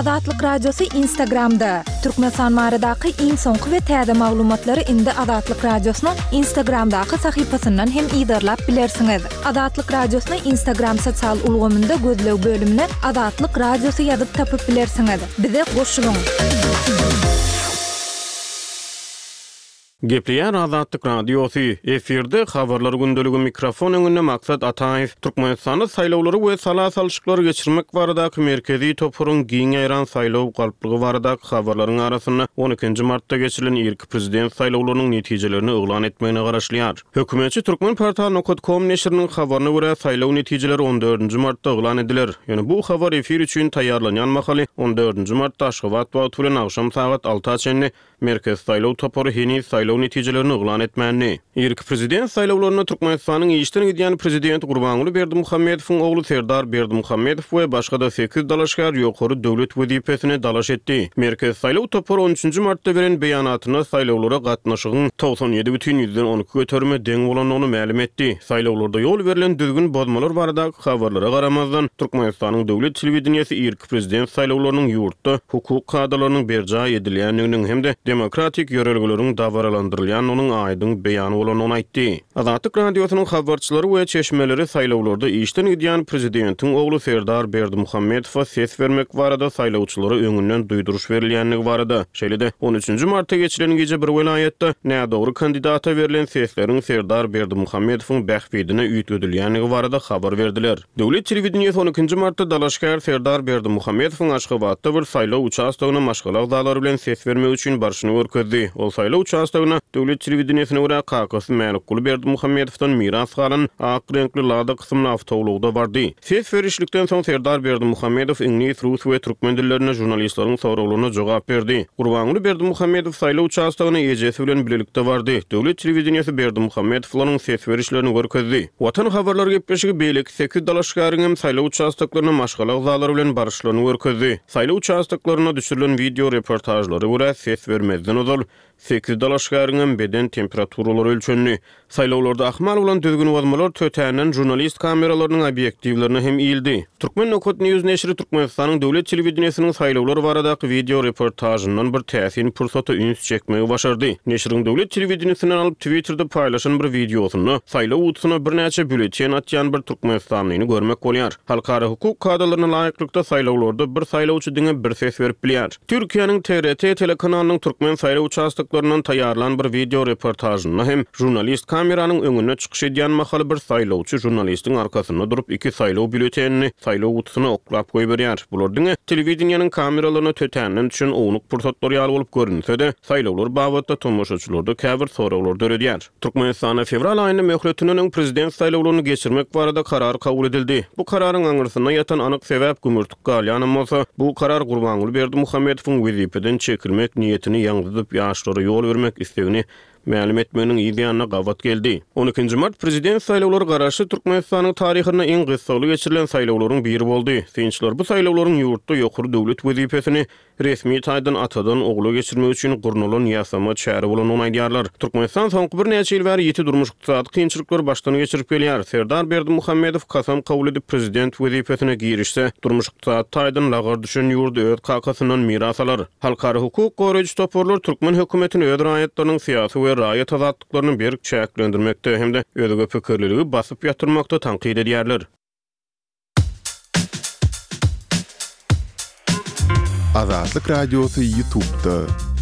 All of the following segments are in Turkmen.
Azatlyk Radiosy Instagramda! Türkmenistan baradaky iň soňky we täze maglumatlary indi Azatlyk Radiosynyň Instagramdaky sahypasyndan hem yzarlap bilersiňiz. Azatlyk Radiosyny Instagram sosial ulgamynda gözleg bölümine Azatlyk Radiosy ýazyp tapyp bilersiňiz. Bize goşulyň! Gepleýär Azatlyk Radiosy, efirde Habarlar gündeligi mikrofon öňünde Maksat Ataýew. Türkmenistanda saýlawlary we sala salşyklary geçirmek baradaky Merkezi toparyň giň ýaýran saýlaw galplygy baradaky habarlaryň arasynda on ikinji martda geçirilen irki prezident saýlawlarynyň netijelerini yglan etmegine garaşylýar. Hökümetçi Turkmenportal nokat kom neşiriniň habaryna görä, saýlaw netijeleri on dördünji martda yglan ediler. Ýöne bu habar efir üçin taýýarlanýan mahaly on dördünji martda Aşgabat wagty bilen agşam sagat alta çenli Merkezi saýlaw topary heniz saýlaw netijelerini yglan etmändi. Irki prezident saýlawlarynda Türkmenistanyň işden gidýän prezidenti Gurbanguly Berdimuhamedowyň ogly Serdar Berdimuhamedow we başga-da sekiz dalaşgär ýokary döwlet wezipesine dalaş etdi. Merkezi saýlaw topary on üçünji martda beren beýanatynda saýlawlara gatnaşygyň 97 bütin ýüzden 12 göterime deň bolandygyny mälim etdi. Saýlawlarda ýol berlen düzgün bozmalar baradaky habarlara garamazdan, Türkmenistanyň döwlet telewideniýesi irki prezident saýlawlarynyň ýurtda hukuk kadalarynyň berjaý edilýändiginiň hem-de demokratik ýörelgeleriň dabaralandyrylýandygynyň aýdyň beýany bolandygyny aýtdy. Azatlyk Radiosynyň habarçylary we çeşmeleri saýlawlarda işden gidýän prezidentiň ogly Serdar Berdimuhamedowa ses bermek barada saýlawçylara öňünden duýduryş berilýändigi barada, şeýle-de on üçünji martda geçilen gije bir welaýatda nädogry kandidata berlen sesleriň Serdar Berdimuhamedowyň bähbidine üýtgedilýändigi barada habar berdiler. Döwlet telewideniýesi on ikinji martda dalaşgär Serdar Berdimuhamedowyň Aşgabatda bir saýlaw uçastogyna maşgala agzalary bilen ses bermek üçin barşyny görkezdi. Ol saýlaw uçastogyna, döwlet telewideniýesine görä, kakasy Mälikguly Berdimuhamedowdan miras galan ak reňkli Lada kysymly awtoulagda bardy. Ses berişlikden soň Serdar Berdimuhamedow iňlis, rus we türkmen dillerinde žurnalistleriň soraglaryna jogap berdi. Gurbanguly Berdimuhamedow saýlaw uçastogyna ejesi bilen bilelikde bardy. Döwlet telewideniýesi Berdimuhamedowlaryň ses berişlerini görkezdi. Watan habarlar gepleşigi beýleki sekiz dalaşgäriň hem saýlaw uçastoklaryna maşgala agzalary bilen baryşlaryny görkezdi. Saýlaw uçastoklarynda düşürilen wideo reportažlara görä, ses bermezden ozal, sekiz dalaşgäriň hem beden temperaturalary ölçendi. Saýlawlarda ahmal bolan düzgünbozmalar tötänden žurnalist kameralarynyň obýektiwlerine hem ildi. Turkmen nokat news neşiri Türkmenistanyň döwlet telewideniýesiniň saýlawlar baradaky wideo reportažyndan bir täsin pursata üns çekmegi başardy. Neşiriň döwlet telewideniýesinden alyp Twitterde paýlaşan bir wideosynda saýlaw gutusyna birnäçe býulleten atýan bir türkmenistanlyny görmek bolýar. Halkara hukuk kadalaryna laýyklykda saýlawlarda bir saýlawçy diňe bir ses berip bilýär. Türkiýäniň TRT telekanalynyň türkmen saýlaw uçastoklaryndan taýýarlan bir wideo reportažynda hem žurnalist kameranyň öňünde çykyş edýän mahaly bir saýlawçy žurnalistiň arkasynda durup iki saýlaw býulletenini saýlaw gutusyna oklap goýberýär. Bular diňe telewideniýeniň kameralaryna tötänden düşen ownuk pursatlar ýaly bolup görünse-de, saýlawlar babatda tomaşaçylarda käbir soraglar döredýär. Türkmenistanda fewral aýynda möhletinden öň prezident saýlawlaryny geçirmek barada karar kabul edildi. Bu kararyň aňyrsynda ýatan anyk sebäp gümürtik galýanam bolsa, bu karar Gurbanguly Berdimuhamedowyň wezipeden çekilmek niýetini ýaňzydyp, ýaşlara ýol bermek islegini mälim etmeginiň yz ýanyna gabat geldi. On ikinji mart prezident saýlawlary Garaşsyz Türkmenistanyň taryhynda iň gyssagly geçirilen saýlawlaryň biri boldy. Synçylar bu saýlawlaryň ýurtda ýokary döwlet wezipesini resmi taýdan atadan ogla geçirmek üçin gurnalan ýasama çäre bolandygyny aýdýarlar. Türkmenistan soňky birnäçe ýyl bäri ýiti durmuş-ykdysady kynçylyklary başdan geçirip gelýär. Serdar Berdimuhamedow kasam kabul edip prezident wezipesine girişse, durmuş-ykdysady taýdan lagar düşen ýurdy öz kakasyndan miras alar. Halkara hukuk goraýjy toparlar türkmen hökümetini öz raýatlarynyň syýasy we raýat azatlyklaryny berk çäklendirmekde hem-de özge pikirliligi basyp ýatyrmakda tankyt edýärler. Azatlyk Radiosy Ýutubda.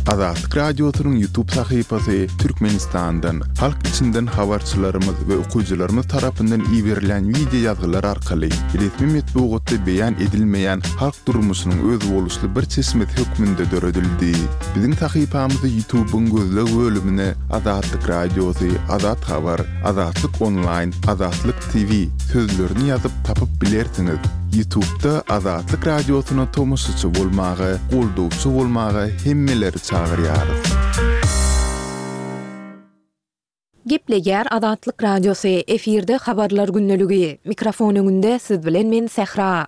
Azatlyk Radiosynyň Ýutub sahypasy Türkmenistandan, halk içinden habarçylarymyz we okyjylarymyz tarapyndan iberilýän wideo ýazgylar arkaly resmi metbugatda beýan edilmeýän halk durmuşynyň özboluşly bir çeşmesi hökmünde döredildi. Biziň sahypamyzy Ýutubyň gözleg bölümine Azatlyk Radiosy, Azat Habar, Azatlyk Onlaýn, Azatlyk TV sözlerini ýazyp tapyp bilersiňiz. Ýutubda Azatlyk Radiosyna tomaşaçy bolmaga, goldawçy bolmaga hemmeleri çagyrýarys. Gepleýär Azatlyk Radiosy, efirde Habarlar gündeligi. Mikrofon öňünde siz bilen men Sähra.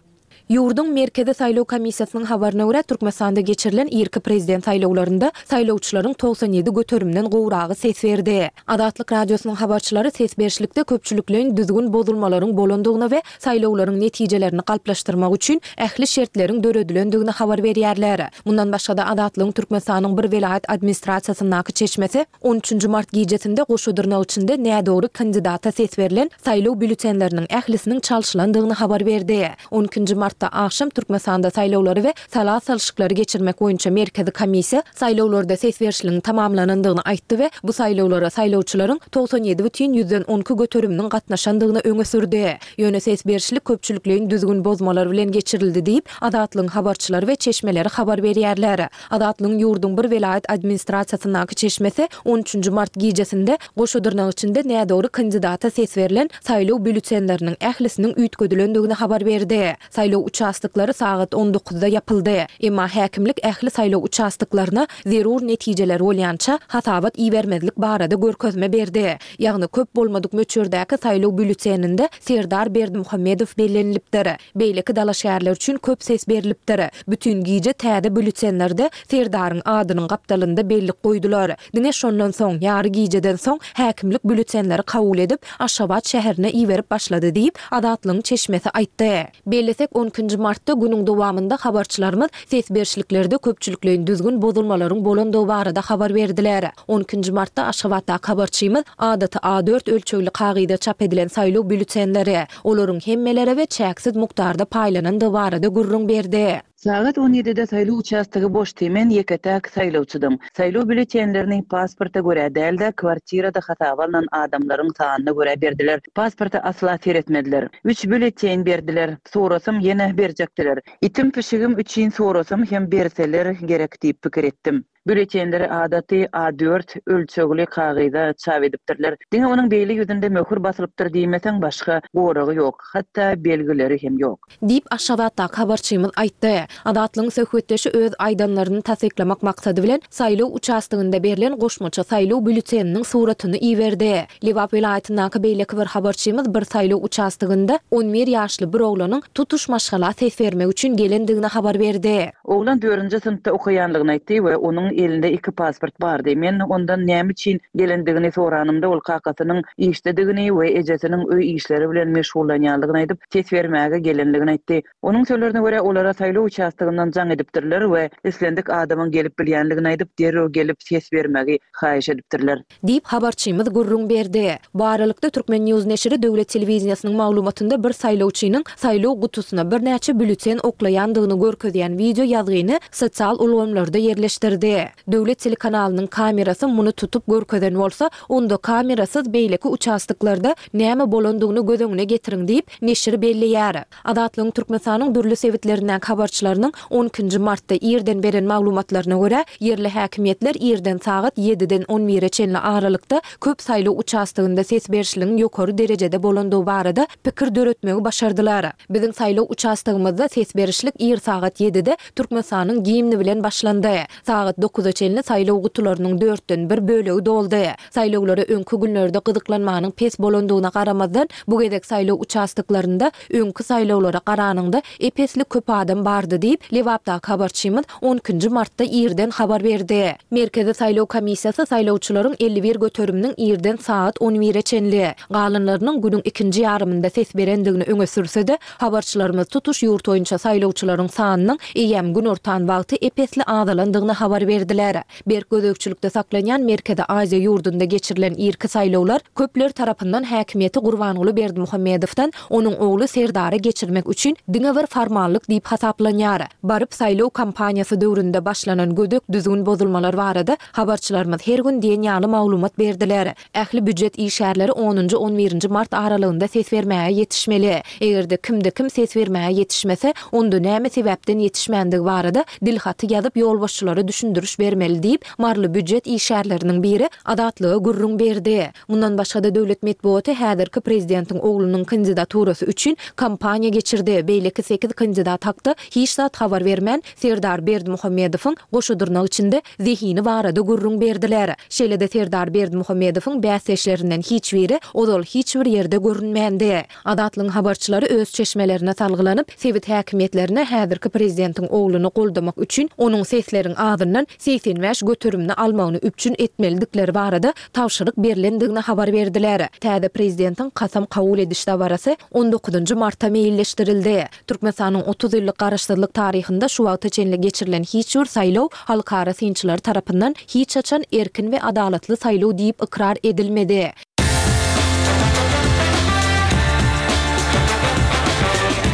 Ýurduň Merkezi saýlaw komissiýasynyň habaryna görä, Türkmenistanda geçirilen irki prezident saýlawlarynda saýlawçylaryň 97 göterimden gowragy ses berdi. Azatlyk Radiosynyň habarçylary ses berişlikde köpçülikleýin düzgün bozulmalaryň bolandygyny we saýlawlaryň netijelerini galplaşdyrmak üçin ähli şertleriň döredilendigini habar berýärler. Mundan başga-da, Azatlygyň Türkmenistanyň bir welaýat administrasiýasyndaky çeşmesi on üçünji mart gijesinde goşa dyrnak içinde nädogry kandidata ses berlen saýlaw býulletenleriniň ählisiniň çalşylandygyny habar berdi. On ikinji martda agşam Türkmenistanda saýlawlary we sala salşyklary geçirmek boýunça Merkezi komissiýa saýlawlarda ses berişligiň tamamlanandygyny aýtdy we bu saýlawlara saýlawçylaryň 97 bütin 12 göteriminiň gatnaşandygyny öňe sürdi. Ýöne ses berişlik köpçülikleýin düzgün bozmalar bilen geçirildi diýip, Azatlygyň habarçylary we çeşmeleri habar berýärler. Azatlygyň ýurduň bir welaýat administrasiýasyndaky çeşmesi on üçünji mart gijesinde goşa dyrnak içinde nädogry kandidata ses berlen saýlaw býulletenleriniň ählisiniň üýtgedilendigini habar berdi. Saýlaw uçastoklary sagat on dokuzda ýapyldy. Emma häkimlik ähli saýlaw uçastoklaryna zerur netijeler bolýança hasabat ibermezlik barada görkezme berdi. Ýagny köp bolmadyk möçberdäki saýlaw býulleteninde Serdar Berdimuhamedow bellenilipdir. Beýleki dalaşgärler üçin köp ses berlipdir. Bütin gije täze býulletenlerde Serdaryň adynyň gapdalynda bellik goýdular. Diňe şondan soň, ýary gijeden soň häkimlik býulletenleri kabul edip, Aşgabat şäherine iberip başlady diýip, Azatlygyň çeşmesi aýtdy. Bellesek, on ikinji martda günüň dowamynda habarçylarymyz ses berişliklerde köpçülikleýin düzgün bozulmalaryň bolandygy barada habar berdiler. On ikinji martda Aşgabatdaky habarçymyz adaty A dört ölçegli kagyza çap edilen saýlaw býulletenleri, olaryň hemmelere we çäksiz mukdarda paýlanandygy barada gürrüň berdi. Sagat on ýedide saýlaw uçastogy boşdy, men ýeke-täk saýlawçydym. Saýlaw býulletenlerini pasporta görä däl-de, kwartirada hasaba alnan adamlaryň sanyna görä berdiler. Pasporta asla seretmediler. Üç býulleten berdiler. Sorasam ýene berjekdiler. Itim-pişigim üçin sorasam hem berseler gerek diýip pikir etdim. Býulletenleri adaty A dört ölçegli kagyza çap edipdirler. Diňe onuň beýle ýüzünde möhür basylypdyr diýmeseň başga goragy ýok, hatda belgileri hem ýok. Diýip, Aşgabatdaky habarçymyz aýtdy. Azatlygyň söhbetdeşi öz aýdanlaryny tassyklamak maksady bilen, saýlaw uçastogynda berlen goşmaça saýlaw býulleteniniň suratyny iberdi. Lebap welaýatyndaky beýleki bir habarçymyz bir saýlaw uçastogynda on bir ýaşly bir oglanyň tutuş maşgala ses bermek üçin gelendigini habar berdi. Oglan dördünji synpda okaýanlygyny aýtdy we onuň elinde iki pasport bardy. Men ondan näme üçin gelendigini soranymda, ol kakasynyň işdedigini we ejesiniň öý işleri bilen meşgullanýanlygyny aýdyp, ses bermäge gelenligini aýtdy. Onuň sözlerine görä, olara saýlaw uçastogyndan jaň edipdirler we islendik adamyň gelip bilýänligini aýdyp, derrew gelip ses bermegi haýyş edipdirler. Diýip, habarçymyz gürrüň berdi. Bu aralykda, Turkmen. News neşiri döwlet telewideniýesiniň maglumatynda bir saýlawçynyň saýlaw gutusyna birnäçe býulleten oklaýandygyny görkezýän wideo ýazgyny sosial ulgamlarda ýerleşdirdi. Döwlet telekanalynyň kamerasy muny tutup görkezen bolsa, onda kamerasyz beýleki uçastoklarda näme bolandygyny göz öňüne getiriň diýip, neşir belleýär. Azatlygyň Türkmenistanyň dürli sebitlerindäki habarçylarynyň on ikinji martda irden beren maglumatlaryna görä, ýerli häkimiýetler irden sagat ýediden on bire çenli aralykda köp saýlaw uçastogynda ses berişligiň ýokary derejede bolandygy barada pikir döretmegi başardylar. Biziň saýlaw uçastogymyzda ses berişlik ir sagat ýedide Türkmenistanyň gimni bilen başlandy. Sagat dokuza çenli saýlaw gutularynyň dörtden bir bölegi doldy. Saýlawlara öňki günlerde gyzyklanmanyň pes bolandygyna garamazdan, bu gezek saýlaw uçastoklarynda öňki saýlawlara garanyňda ep-esli köp adam bardy diýip, Lebapdaky habarçymyz on ikinji martda irden habar berdi. Merkezi saýlaw komissiýasy saýlawçylaryň 51 göteriminiň irden sagat on bire çenli, galanlarynyň günüň ikinji ýarymynda ses berendigini öňe sürse-de, habarçylarymyz tutuş ýurt boýunça saýlawçylaryň sanynyň eýýäm günortan wagty ep-esli azalandygyny habar berdiler. Berk gözegçilikde saklanýan Merkezi Aziýa ýurdunda geçirilen irki saýlawlar köpler tarapyndan häkimiýeti Gurbanguly Berdimuhamedowdan onuň ogly Serdara geçirmek üçin diňe bir formallyk diýip hasaplanýar. Baryp saýlaw kampaniýasy döwründe başlanan gödek düzgün bozulmalar barada habarçylarymyz her gün diýen ýaly maglumat berdiler. Ähli býujet işgärleri onunjy, on birinji mart aralygynda ses bermäge ýetişmeli. Eger-de kimde-kim ses bermäge ýetişmese, onda näme sebäpden ýetişmändigi barada dilhaty ýazyp ýolbaşçylara düşündiriş. düşündiriş bermeli diýip, maryly býujet işgärleriniň biri Azatlyga gürrüň berdi. Mundan başga-da döwlet metbugaty häzirki prezidentiň oglunyň kandidaturasy üçin kampaniýa geçirdi, beýleki sekiz kandidat hakda hiç zat habar bermän, Serdar Berdimuhamedowyň, goşa dyrnak içinde, zehini barada gürrüň berdiler. Şeýle-de Serdar Berdimuhamedowyň bäsdeşlerinden hiç biri ozal hiç bir ýerde görünmändi. Azatlygyň habarçylary öz çeşmelerine salgylanyp, sebit häkimiýetlerine häzirki prezidentiň ogluny goldamak üçin onuň sesleriň azyndan 85 göterimini almagyny üpjün etmelidikleri barada tabşyryk berlendigini habar berdiler. Täze prezidentiň kasam kabul ediş dabarasy on dokuzynjy marta meýilleşdirildi. Türkmenistanyň 30 ýyllyk garaşsyzlyk taryhynda şu wagta çenli geçirilen hiç bir saýlaw halkara synçylary tarapyndan hiç haçan erkin we adalatly saýlaw diýip ykrar edilmedi.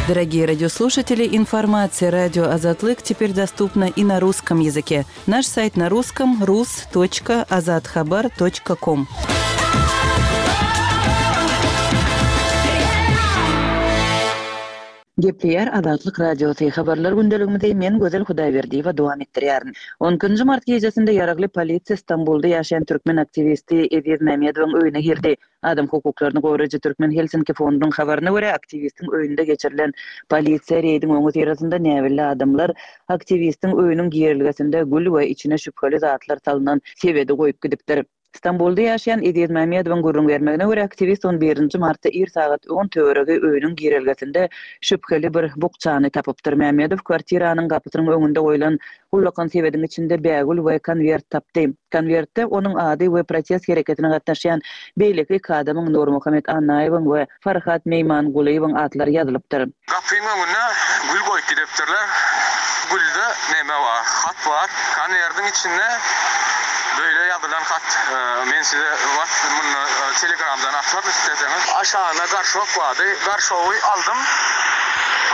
Дорогие радиослушатели, информация радио Азатлык теперь доступна и на русском языке. Наш сайт на русском rus.azathabar.com. Gepleýär Azatlyk Radiosy, Habarlar gündeligimizi men Gözel Hudaýberdiýewa dowam etdirýärin. On ikinji mart gijesinde ýaragly polisiýa Stambulda ýaşaýan türkmen aktiwisti Eziz Mämmedowyň öýüne girdi. Adam hukuklaryny goraýjy Türkmen Helsinki fondunyň habaryna görä, aktiwistiň öýünde geçirilen polisiýa reýdiň öňüsyrasynda näbelli adamlar aktiwistiň öýüniň girelgesinde gül we içine şübheli zatlar salnan sebedi goýup gidipdir. Stambulda ýaşaýan Eziz Mämmedowyň gürrüň bermegine görä, aktiwist on birinji martda ir sagat on töweregi öýüniň girelgesinde şübheli bir bukjany tapypdyr. Mämmedow kwartiranyň gapysynyň öňünde goýlan ullakan sebediň içinde bägül we konwert tapdy. Konwertde onuň ady we protest hereketine gatnaşýan beýleki iki adamyň Nurmuhammet Annaýewiň we Farhat Meýmangulyýewiň atlary ýazylypdyr. Gapyň öňüne gül goýup gidipdirler. Gülde neme bar, hat bar. Konwerdiň içinde beýle ýazylan hat. Men size wat munda telegramdan ataryn isleseňiz. Aşagynda garşok bardy. Garşogy aldym.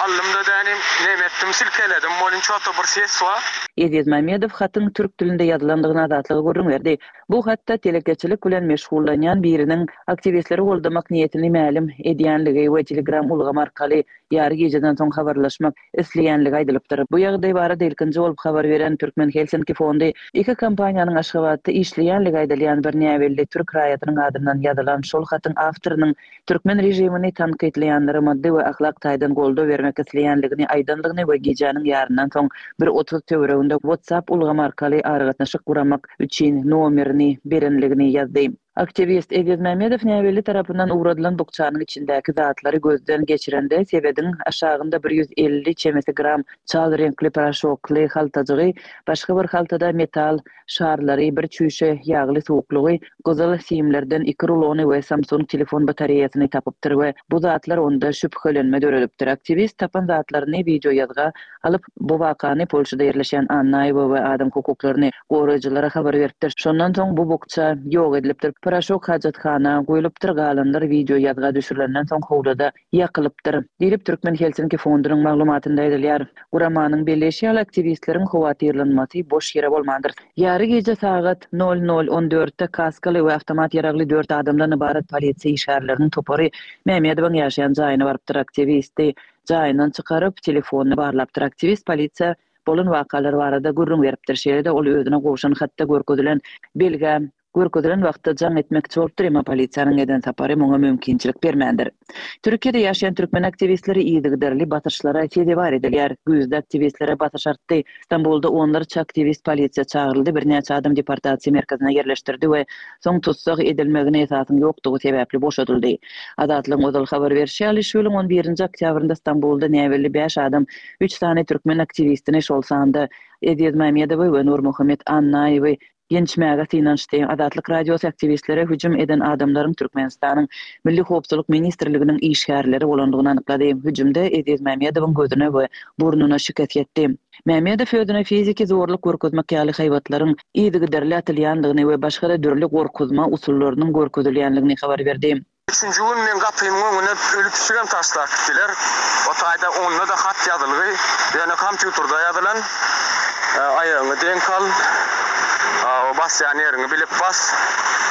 Aldym-da dänim neme etdim, silkeledim. Welin ço-to bir ses bar. Eziz Mamedow hatyň türk dilinde ýazylandygyny Azatlyga gürrüň berdi. Bu hatda telekeçilik bilen meşgullanýan biriniň aktiwistleri goldamak niýetini mälim edýänligi we Telegram ulgamy arkaly ýary gijeden soň habarlaşmak isleýänligi aýdylypdyr. Bu ýagdaý barada ilkinji bolup habar beren Türkmen Helsinki fondy iki kompaniýanyň Aşgabatda işleýänligi aýdylýan bir näbelli türk raýatynyň adyndan ýazylan şol hatyň awtorynyň Türkmen režimini tankytlaýanlara maddy we ahlak taýdan goldaw bermek isleýänligini aýdandygyny we gijäniň ýaryndan soň bir 30 töwereginde WhatsApp ulgamy arkaly aragatnaşyk guramak üçin nomerini berenligini ýazdy. Aktiwist Eziz Mämmedow näbelli tarapyndan ugradylan bukjanyň içindäki zatlary gözden geçirende sebediň aşagynda 150 çemesi gram çal reňkli poroşokly haltajygy, başga bir haltada metal şarlary, bir çüýşe ýagly suwuklygy, gyzyl simlerden iki rulony we Samsung telefon batareýasyny tapypdyr we bu zatlar onda şübhelenme döredipdir. Aktiwist tapan zatlaryny wideoýazga alyp, bu wakany Polşada ýerleşýän Annaýewa we adam hukuklaryny goraýjylara habar beripdir. Şondan soň bu bukja ýok edilipdir. Poroşok hajathana guýlupdyr, galanlar wideoýazga düşürilenden soň howluda ýakylypdyr, diýlip, Türkmen Helsinki fondunyň maglumatynda aýdylýar. Guramanyň belleýşi ýaly, aktiwistleriň howatyrlanmasy boş ýere bolmandyr. Ýary gije sagat nol nol on dörtde kaskaly we awtomat ýaragly dört adamdan ybarat polisiýa işgärleriniň topary Mämmedowyň ýaşaýan jaýyna barypdyr. Aktiwisti jaýyndan çykaryp, telefonyny barlapdyr. Aktiwist polisiýa bolan wakalar barada gürrüň beripdir. Şeýle-de ol özüne gowşan hatda görkezilen belgä Görkezilen wagtda jaň etmekçi bolupdyr, emma polisiýanyň eden sapary muňa mümkinçilik bermändir. Türkiýede ýaşaýan türkmen aktiwistleri yzygiderli basyşlara sezewar edilýär. Güýzde aktiwistlere basyş artdy. Stambulda onlarça aktiwist polisiýa çagyryldy, birnäçe adam deportasiýa merkezine ýerleşdirdi we soň tussag edilmegine esasyň ýokdugy sebäpli boşadyldy. Azatlygyň ozal habar berşi ýaly, şu ýylyň on birinji oktýabrynda Stambulda näbelli bäş adam üç sany türkmen aktiwistini, şol sanda Eziz Mämmedowy we Nurmuhammet Annaýewi Ýençmäge synanyşdy. Azatlyk Radiosy aktiwistlere hüjüm eden adamlaryň Türkmenistanyň Milli howpsuzlyk ministrliginiň işgärleri bolandygyny anyklady. Hüjümde Eziz Mämmedowyň gözüne we burnuna şikes ýetdi. Mämmedow özüne fiziki zorluk görkezmek ýaly haýbatlaryň yzygiderli atylýandygyny we başga-da dürli gorkuzma usullarynyň görkezilýändigini habar berdi. Üçünji gün meň gapymyň öňüne öli pişigem taşlap gitdiler. O taýda onda-da hat ýazylgy, ýöne kompýuterde ýazylan. Aýagyňy deňk al. Basýan ýeriňi bilip bas.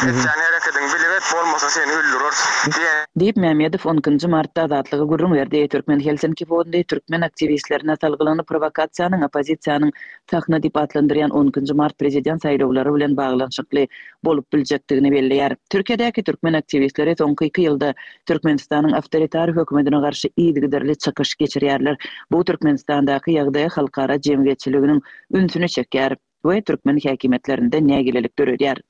Etýän herekediňi bilip et, bolmasa seni öldüreris diýen. Diýip, Mämmedow on ikinji martda Azatlyga gürrüň berdi. Türkmen Helsinki fondy türkmen aktiwistlerine salgylanyp, prowokasiýanyň oppozisiýanyň sahna diýip atlandyrýan on ikinji mart prezident saýlawlary bilen baglanyşykly bolup biljekdigini belleýär. Türkiýedäki türkmen aktiwistleri soňky iki ýylda Türkmenistanyň awtoritar hökümetine garşy yzygiderli çykyş geçirýärler. Bu Türkmenistandaky ýagdaýa halkara jemgyýetçiliginiň ünsüni çekýär we türkmen häkimiýetlerinde nägilelik döredýär.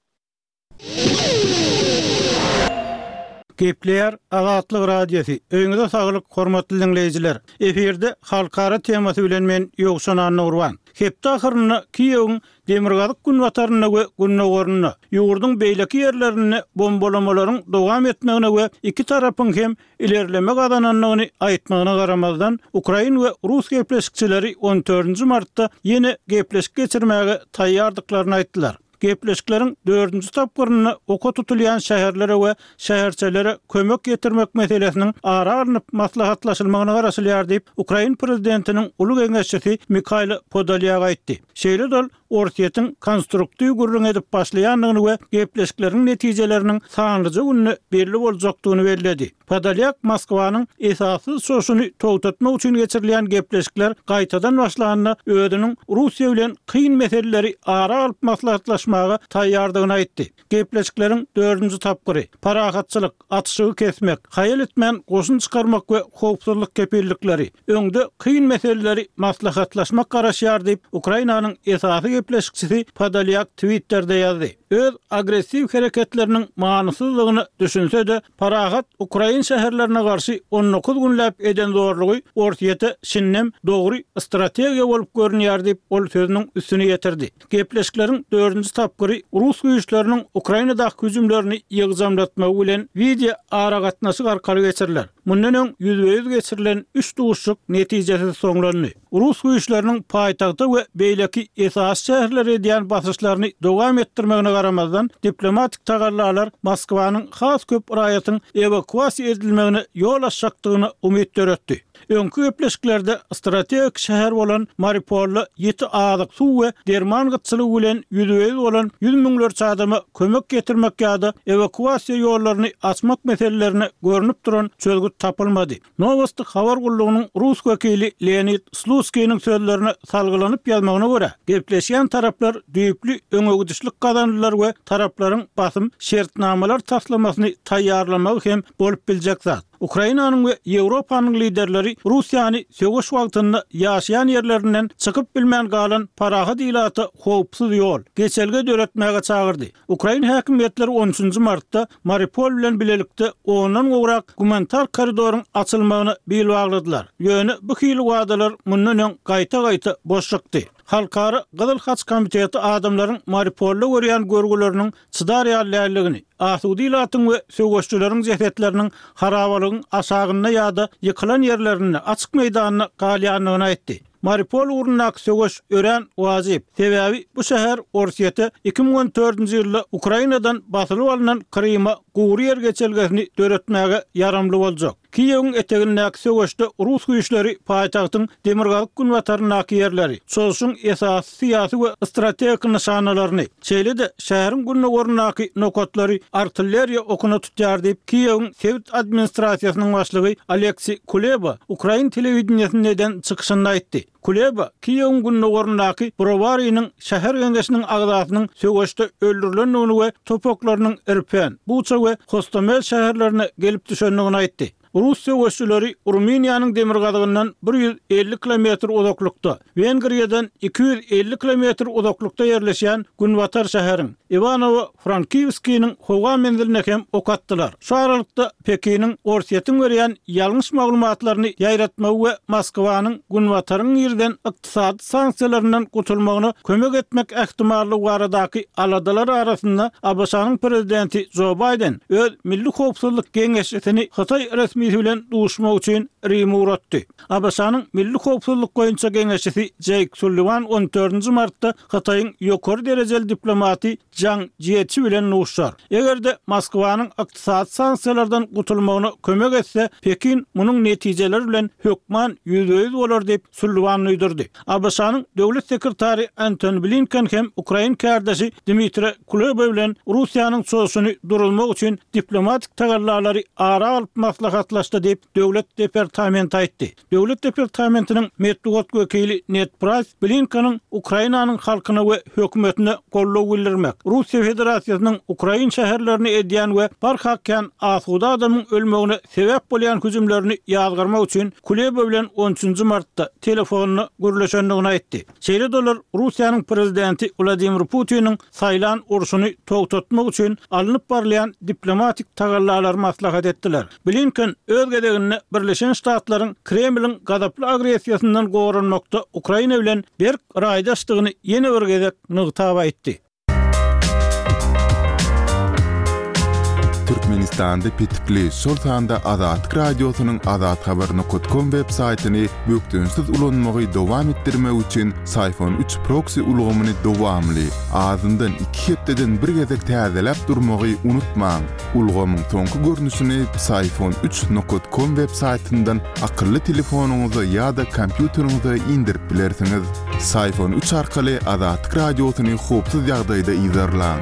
Gepleýär Azatlyk Radiosy, Öýüňize saglyk hormatly diňleýjiler! Efirde halkara temasy bilen men Ýowşan Annagurban. Hepde ahyrynda Kiýewiň demirgazyk-günbatarynda we gündogarynda, ýurduň beýleki ýerlerinde bombalamalaryň dowam etmegine we iki tarapyň hem ilerleme gazanandygyny aýtmagyna garamazdan, ukrain we rus gepleşikçileri on dördünji martda ýene gepleşik geçirmäge taýýardyklaryny aýtdylar. Gepleşikleriň dördünji tapgyrynda oka tutulýan şäherlere we şäherçelere kömek ýetirmek meselesiniň ara alnyp maslahatlaşylmagyna garaşylýar diýip, ukrain prezidentiniň uly geňeşçisi Mihailo Podolýak aýtdy. Şeýle-de ol Orsýetiň konstruktiw gürrüň edip başlaýandygyny we gepleşikleriň netijeleriniň sanlyja günde belli boljakdygyny belledi. Podolýak Moskwanyň esassyz çoşuny togtatmak üçin geçirilýän gepleşikler gaýtadan başlanda özüniň Russiýa bilen kyn meseleleri ara alyp maslahatlaşmaga taýýardygyny aýtdy. Gepleşikleriň dördünji tapgyry, parahatçylyk, atyşygy kesmek, haýal etmän goşun çykarmak we howpsuzlyk kepillikleri, öňde kyn meseleleri maslahatlaşmak garaşýar diýip, Ukrainanyň esasy gepleşikçisi Podolýak Twitterde ýazdy. Öz agressiw hereketleriniň manysyzlygyna düşünse-de, parahat ukrain şäherlerine garşy 19 günläp eden zorlugy Orsýete şindem dogry strategiýa bolup görünýär diýip, ol sözüniň üstüni ýetirdi. Gepleşikleriň dördünji tapgyry rus güýçleriniň Ukrainadaky hüjümlerini ýygjamlatmagy bilen wideo aragatnaşyk arkaly geçiriler. Mundan öň ýüzbe-ýüz geçirilen üç duşuşyk netijesiz soňlandy. Rus güýçleriniň paýtagta we beýleki esasy şäherlere edýän basyşlaryny dowam etdirmegine garamazdan, diplomatik tagallalar Moskwanyň has köp raýatyň ewakuasiýa edilmegine ýol açjakdygyna umyt döretdi. Öňki gepleşiklerde strategik şäher bolan Mariupolda ýiti azyk, suw we derman gytçylygy bilen ýüzbe-ýüz bolan ýüz müňlerçe adama kömek getirmek ýa-da ewakuasiýa ýollaryny açmak meselelerine görnüp duran çözgüt tapylmady. Nowosti habar gullugynyň rus wekili Leonid Slutskiniň sözlerine salgylanyp ýazmagyna görä, gepleşýän taraplar düýpli öňegidişlik gazandylar we taraplaryň basym şertnamalar taslamasyny taýýarlamagy hem bolup biljek zat. Ukrainanyň we Ýewropanyň liderleri Russiýany söweş wagtynda ýaşaýan ýerlerinden çykyp bilmän galan parahat ilata howpsuz ýol, geçelge döretmäge çagyrdy. Ukrain häkimiýetleri on üçünji martda Mariupol bilen bilelikde ondan gowrak gumanitar koridoryň açylmagyna bil bagladylar. Ýöne bu hili wadalar mundan öň gaýta-gaýta boş çykdy. Halkara Gyzyl Haç komiteti adamlaryň Mariupolda görýän görgüleriniň çydar ýaly däldigini, asuda ilatyň we söweşçileriň jesetleriniň harabalygyň aşagynda ýa-da ýykylan ýerlerinde, açyk meýdanda galýandygyny aýtdy. Mariupol ugrundaky söweş örän wajyp, sebäbi bu şäher Orsýete 2014-nji ýylda Ukrainadan basylyp alnan Kryma gury ýer geçelgesini döretmäge ýaramly boljak. Kiýewiň etegindäki söweşde rus güýçleri paýtagtyň demirgazyk-günbataryndaky ýerleri, çozuşyň esasy syýasy we strategik nyşanalaryny, şeýle-de şäheriň gündogaryndaky nokatlary artilleriýa okuna tutýar diýip, Kiýewiň sebit administrasiýasynyň başlygy Oleksiý Kuleba ukrain telewideniýesinde eden çykyşynda aýtdy. Kuleba Kiýewiň gündogaryndaky Browarynyň şäher geňeşiniň agzasynyň söweşde öldürilendigini we top oklarynyň Irpen, Buça we Hostomel şäherlerine gelip düşendigini aýtdy. Rus söweşçileri Rumyniýanyň demirgazygyndan 150 kilometr uzaklykda, Wengriýadan 250 kilometr uzaklykda ýerleşýän günbatar şäheriň, Iwanowo-Frankiwskiniň howa menziline hem ok atdylar. Şu aralykda, Pekiniň Orsýetiň berýän ýalňyş maglumatlaryny ýaýratmagy we Moskwanyň Günbataryň girizen ykdysady sanksiýalaryndan gutulmagyna kömek etmek ähtimallygy baradaky aladalar arasynda ABŞ-nyň prezidenti Jo Baýden öz Milli howpsuzlyk geňeşçisini hytaý resmilerine. resmisi bilen duşmak üçin Rime ugratdy. ABŞ-nyň Milli howpsuzlyk boýunça geňeşçisi Jeýk Sulliwan on dördünji martda Hytaýyň ýokary derejeli diplomaty Žang Jieçi bilen duşar. Eger-de Moskwanyň ykdysady sanksiýalardan gutulmagyna kömek etse, Pekin munuň netijeleri bilen hökman ýüzbe-ýüz bolar diýip, Sulliwan duýdurdy. ABŞ-nyň Döwlet sekretary Antony Blinken hem ukrain kärdeşi Dmitre Kuleba bilen Russiýanyň çozuşyny duruzmak üçin diplomatik tagallalary ara alyp maslahatlaşdy diýip, Döwlet departamenti aýtdy. Döwlet departamentiniň metbugat wekili Ned Praýs Blinkeniň Ukrainanyň halkyna we hökümetine goldaw bildirmek, Russiýa Federasiýasynyň ukrain şäherlerine edýän we barha kän asuda adamyň ölmegine sebäp bolýan hüjümlerini ýazgarmak üçin Kuleba bilen on üçünji martda telefonda gürleşendigini aýtdy. Şeýle-de olar Russiýanyň prezidenti Wladimir Putiniň saýlan urşuny togtatmak üçin alnyp barylýan diplomatik tagallalary maslahat etdiler. Blinken öz gezeginde Birleşen Ştatlaryň Kremliň gazaply agressiýasyndan goranmakda Ukraina bilen berk raýdaşdygyny ýene bir gezek nygtap aýtdy. Türkmenistanda petikli, şol sanda Azatlyk Radiosynyň azathabar nokat kom web saýtyny bökdençsiz ulanmagy dowam etdirmek üçin Syfon üç proksi ulgamyny dowamly, azyndan iki hepdeden bir gezek täzeläp durmagy unutmaň. Ulgamyň soňky görnüşini Psiphon üç nokat kom web saýtyndan akylly telefonyňyza ýa-da kompýuteriňize indirip bilersiňiz. Psiphon üç arkaly Azatlyk Radiosyny howpsuz ýagdaýda yzarlaň.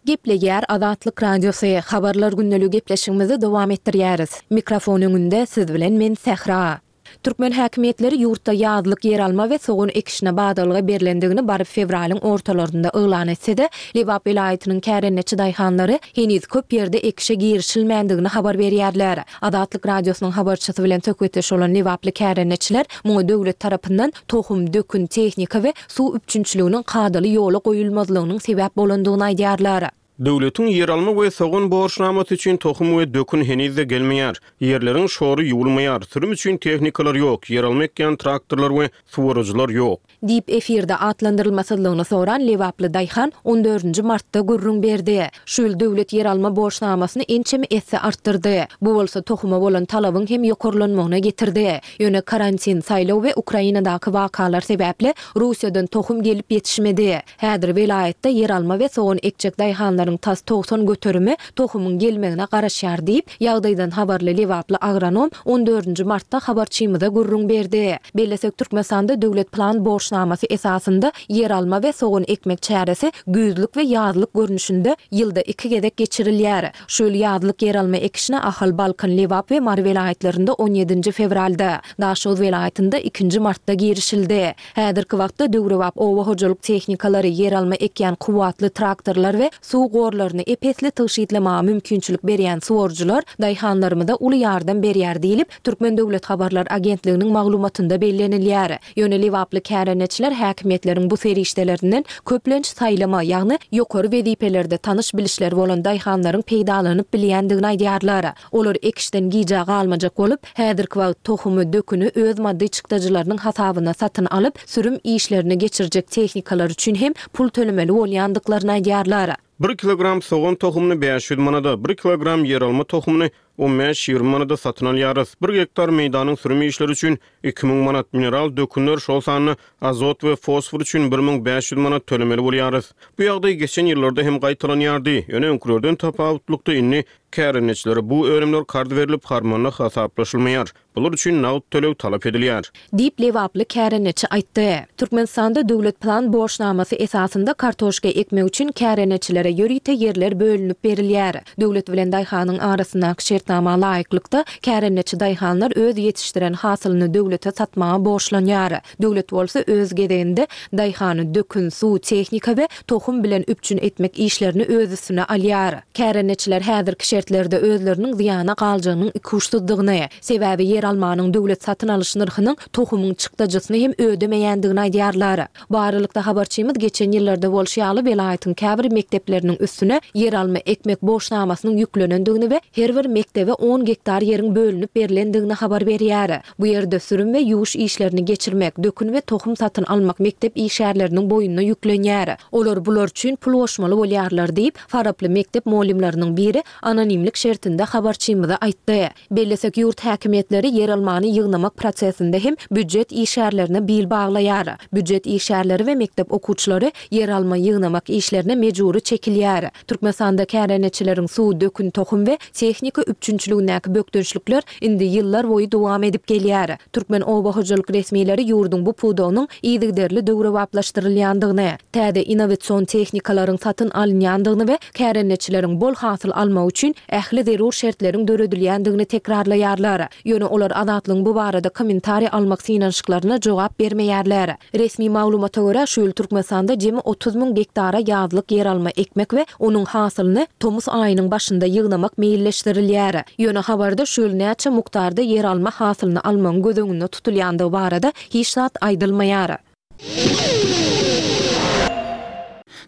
Gepleýär Azatlyk Radiosy, Habarlar gündeligi gepleşigimizi dowam etdirýäris. Mikrofon öňünde siz bilen men Sähra. Türkmen häkimiýetleri ýurtda ýazlyk ýeralma we sogan ekişine badalga berlendigini baryp fewralyň ortalarynda yglan etse-de, Lebap welaýatynyň kärendeçi daýhanlary heniz köp ýerde ekişe girişilmändigini habar berýärler. Azatlyk Radiosynyň habarçysy bilen söhbetdeş bolan lebaply kärendeçiler muňa döwlet tarapyndan tohum, dökün, tehnika we suw üpjünçiliginiň kadaly ýola goýulmazlygynyň sebäp bolandygyny aýdýarlar. Döwletiň ýeralma we sogan borçnamasy üçin tohum we dökün heniz-de gelmeýär. Ýerleriň şory ýuwulmaýar. Sürüm üçin tehnikalar ýok, ýeralma ekýän traktorlar we suwaryjylar ýok. Diýip, efirde atlandyrylmasyzlygyny soran lebaply daýhan on dördünji martda gürrüň berdi. Şu ýyl döwlet ýeralma borçnamasyny ençeme esse artdyrdy. Bu bolsa tohuma bolan talabyň hem ýokarlanmagyna getirdi. Ýöne karantin, saýlaw we Ukrainadaky wakalar sebäpli Russiýadan tohum gelip ýetişmedi. Häzir welaýatda ýeralma we sogan ekjek daýhanlaryň tas 90 göterimi tohumyň gelmegine garaşýar diýip, ýagdaýdan habarly lebaply agronom on dördünji martda habarçymyza gürrüň berdi. Bellesek, Türkmenistanda döwlet plan borçnamasy esasynda ýeralma we sogan ekmek çäresi güýzlük we ýazlyk görnüşinde ýylda iki gezek geçirilýär. Şu ýyl ýazlyk ýeralma ekişine Ahal, Balkan, Lebap we Mary welaýatlarynda on ýedinji fewralda, Daşoguz welaýatynda ikinji martda girişildi. Häzirki wagtda döwrebap oba hojalyk tehnikalary, ýeralma ekýän kuwwatly traktorlar we suw gorlaryny ep-esli tygşytlamaga mümkinçilik berýän suwaryjylar daýhanlarymyza uly ýardam berýär diýlip, Türkmen döwlet habarlar agentliginiň maglumatynda bellenilýär. Ýöne lebaply kärendeçiler häkimiýetleriň bu serişdelerinden köplenç saýlama, ýagny ýokary wezipelerde tanyş-bilişleri bolan daýhanlaryň peýdalanyp bilýändigini aýdýarlar. Olar ekişden gijä galmajak bolup, häzirki wagt tohumy, döküni öz maddy çykdajylarynyň hasabyna satyn alyp, sürüm işlerini geçirjek tehnikalar üçin hem pul tölemeli bolýandyklaryny aýdýarlar. Bir kilogram sogan tohumyny 500 manada, bir kilogram ýeralma tohumyny on bäş-ýigrimi manada satyn alýarys. Bir gektar meýdanyň sürüm işleri üçin 2000 manat, mineral dökünler, şol sanda azot we fosfor üçin 1500 manat tölemeli bolýarys. Bu ýagdaý geçen ýyllarda hem gaýtalanýardy, ýöne öňkülerden tapawutlykda indi Kärendeçilere bu önümler karz berlip, harmanda hasaplaşylmaýar. Bular üçin nagt töleg talap edilýär. Diýip, lebaply kärendeçi aýtdy. Türkmenistanda döwlet plan borçnamasy esasynda kartoşka ekmek üçin kärendeçilere ýörite ýerler bölünip berilýär. Döwlet bilen daýhanyň arasyndaky şertnama laýyklykda, kärendeçi daýhanlar öz ýetişdiren hasylyny döwlete satmaga borçlanýar. Döwlet bolsa öz gezeginde daýhany dökün, suw, tehnika we tohum bilen üpjün etmek işlerini öz üstüne alýar. Kärendeçiler häzirki şertlerde özleriniň zyýana galjagynyň ikuçsuzdygyny, sebäbi ýeralmanyň döwlet satyn alyş nyrhynyň tohumyň çykdajysyny hem ödemeýändigini aýdýarlar. Bu aralykda habarçymyz geçen ýyllarda bolşy ýaly welaýatyň käbir mekdepleriniň üstüne ýeralma ekmek borçnamasynyň ýüklenendigini we her bir mekdep. mekdebe on gektar ýeriň bölünip berlendigini habar berýär. Bu ýerde sürüm we ýuwuş işlerini geçirmek, dökün we tohum satyn almak mekdep işgärleriniň boýnuna ýüklenýär. Olar bular üçin pul goşmaly bolýarlar diýip, faraply mekdep mugallymlarynyň biri anonimlik şertinde habarçymyza aýtdy. Bellesek, ýurt häkimiýetleri ýeralmany ýygnamak prosesinde hem býujet işgärlerine bil baglaýar. Býujet işgärleri we mekdep okuwçylary ýeralma ýygnamak işlerine mejbury çekilýär. Türkmenistanda kärendeçileriň suw, dökün, tohum we tehnika üpjünçiligindäki bökdençlikler indi ýyllar boýy dowam edip gelýär. Türkmen oba hojalyk resmileri ýurduň bu pudagynyň yzygiderli döwrebaplaşdyrylýandygyny, täze innowasion tehnikalaryň satyn alynýandygyny we kärendeçileriň bol hasyl almagy üçin ähli zerur şertleriň döredilýändigini tekrarlaýarlar. Ýöne olar Azatlygyň bu barada kommentariý almak synanyşyklaryna jogap bermeýärler. Resmi maglumata görä, şu ýyl Türkmenistanda jemi 30 müň gektara ýazlyk ýeralma ekmek we onuň hasylyny tomus aýynyň başynda ýygnamak meýilleşdirilýär. Ýöne habarda şu ýyl näçe mukdarda ýeralma hasylyny almagyň göz öňünde tutulýandygy barada hiç zat aýdylmaýar.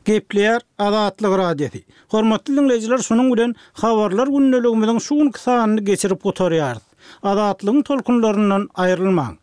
Gepleýär Azatlyk Radiosy. Hormatly diňleýjiler şunuň bilen Habarlar gündeligimiziň şu günki sanyny geçirip gutarýarys. Azatlygyň tolkunlaryndan aýrylmaň.